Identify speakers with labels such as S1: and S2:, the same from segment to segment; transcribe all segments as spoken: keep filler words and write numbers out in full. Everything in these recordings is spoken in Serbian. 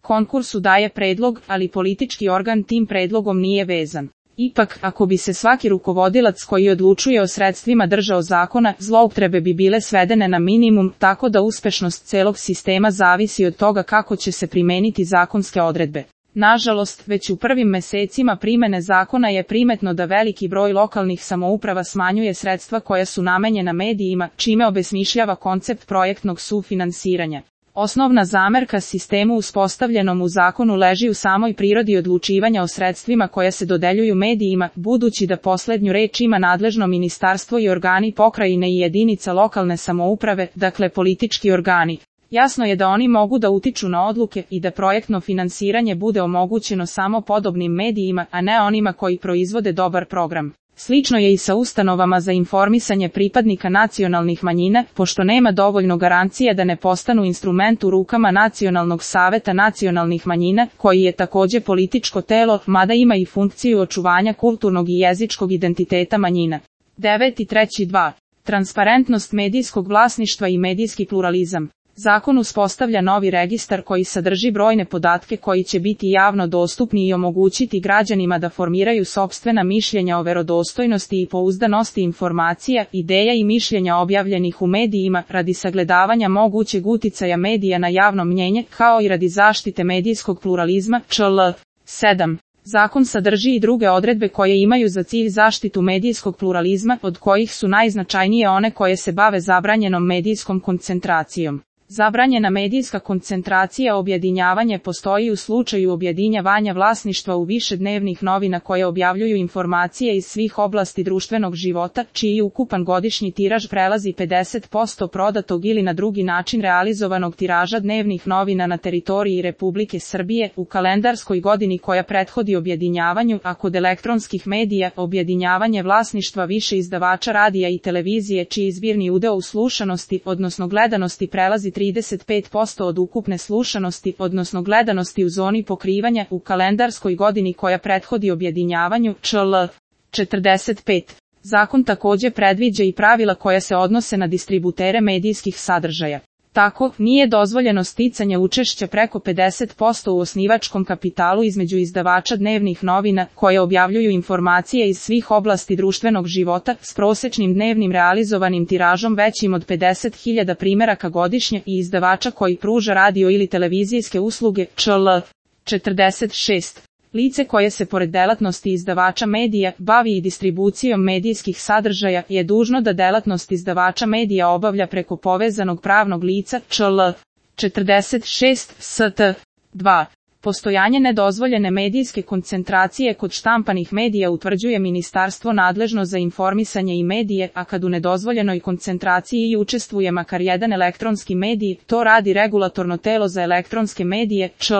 S1: konkursu daje predlog, ali politički organ tim predlogom nije vezan. Ipak, ako bi se svaki rukovodilac koji odlučuje o sredstvima držao zakona, zloupotrebe bi bile svedene na minimum, tako da uspešnost celog sistema zavisi od toga kako će se primeniti zakonske odredbe. Nažalost, već u prvim mesecima primene zakona je primetno da veliki broj lokalnih samouprava smanjuje sredstva koja su namenjena medijima, čime obesmišljava koncept projektnog sufinansiranja. Osnovna zamerka sistemu uspostavljenom u zakonu leži u samoj prirodi odlučivanja o sredstvima koja se dodeljuju medijima, budući da poslednju reč ima nadležno ministarstvo i organi pokrajine i jedinica lokalne samouprave, dakle politički organi. Jasno je da oni mogu da utiču na odluke i da projektno finansiranje bude omogućeno samo podobnim medijima, a ne onima koji proizvode dobar program. Slično je i sa ustanovama za informisanje pripadnika nacionalnih manjina, pošto nema dovoljno garancija da ne postanu instrument u rukama Nacionalnog saveta nacionalnih manjina, koji je takođe političko telo, mada ima i funkciju očuvanja kulturnog i jezičkog identiteta manjina. devet i treći dva. Transparentnost medijskog vlasništva i medijski pluralizam. Zakon uspostavlja novi registar koji sadrži brojne podatke koji će biti javno dostupni i omogućiti građanima da formiraju sopstvena mišljenja o verodostojnosti i pouzdanosti informacija, ideja i mišljenja objavljenih u medijima radi sagledavanja mogućeg uticaja medija na javno mnjenje, kao i radi zaštite medijskog pluralizma, čl. sedam. Zakon sadrži i druge odredbe koje imaju za cilj zaštitu medijskog pluralizma, od kojih su najznačajnije one koje se bave zabranjenom medijskom koncentracijom. Zabranjena medijska koncentracija objedinjavanje postoji u slučaju objedinjavanja vlasništva u više dnevnih novina koje objavljuju informacije iz svih oblasti društvenog života, čiji ukupan godišnji tiraž prelazi pedeset posto prodatog ili na drugi način realizovanog tiraža dnevnih novina na teritoriji Republike Srbije u kalendarskoj godini koja prethodi objedinjavanju, a kod elektronskih medija objedinjavanje vlasništva više izdavača radija i televizije čiji zbirni udeo u slušanosti, odnosno gledanosti prelazi trideset pet posto od ukupne slušanosti, odnosno gledanosti u zoni pokrivanja u kalendarskoj godini koja prethodi objedinjavanju, čl. četrdeset pet. Zakon takođe predviđa i pravila koja se odnose na distributere medijskih sadržaja. Tako, nije dozvoljeno sticanje učešća preko pedeset posto u osnivačkom kapitalu između izdavača dnevnih novina, koje objavljuju informacije iz svih oblasti društvenog života, s prosečnim dnevnim realizovanim tiražom većim od pedeset hiljada primeraka godišnje i izdavača koji pruža radio ili televizijske usluge, čl. četrdeset šest. Lice koje se pored delatnosti izdavača medija bavi i distribucijom medijskih sadržaja je dužno da delatnost izdavača medija obavlja preko povezanog pravnog lica, čl. četrdeset šest st. dva. Postojanje nedozvoljene medijske koncentracije kod štampanih medija utvrđuje ministarstvo nadležno za informisanje i medije, a kad u nedozvoljenoj koncentraciji i učestvuje makar jedan elektronski medij, to radi regulatorno telo za elektronske medije, čl.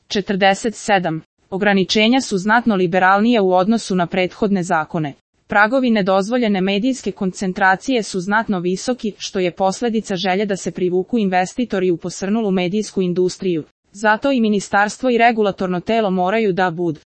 S1: četrdeset sedam. Ograničenja su znatno liberalnija u odnosu na prethodne zakone. Pragovi nedozvoljene medijske koncentracije su znatno visoki, što je posledica želje da se privuku investitori u posrnulu medijsku industriju. Zato i ministarstvo i regulatorno telo moraju da budu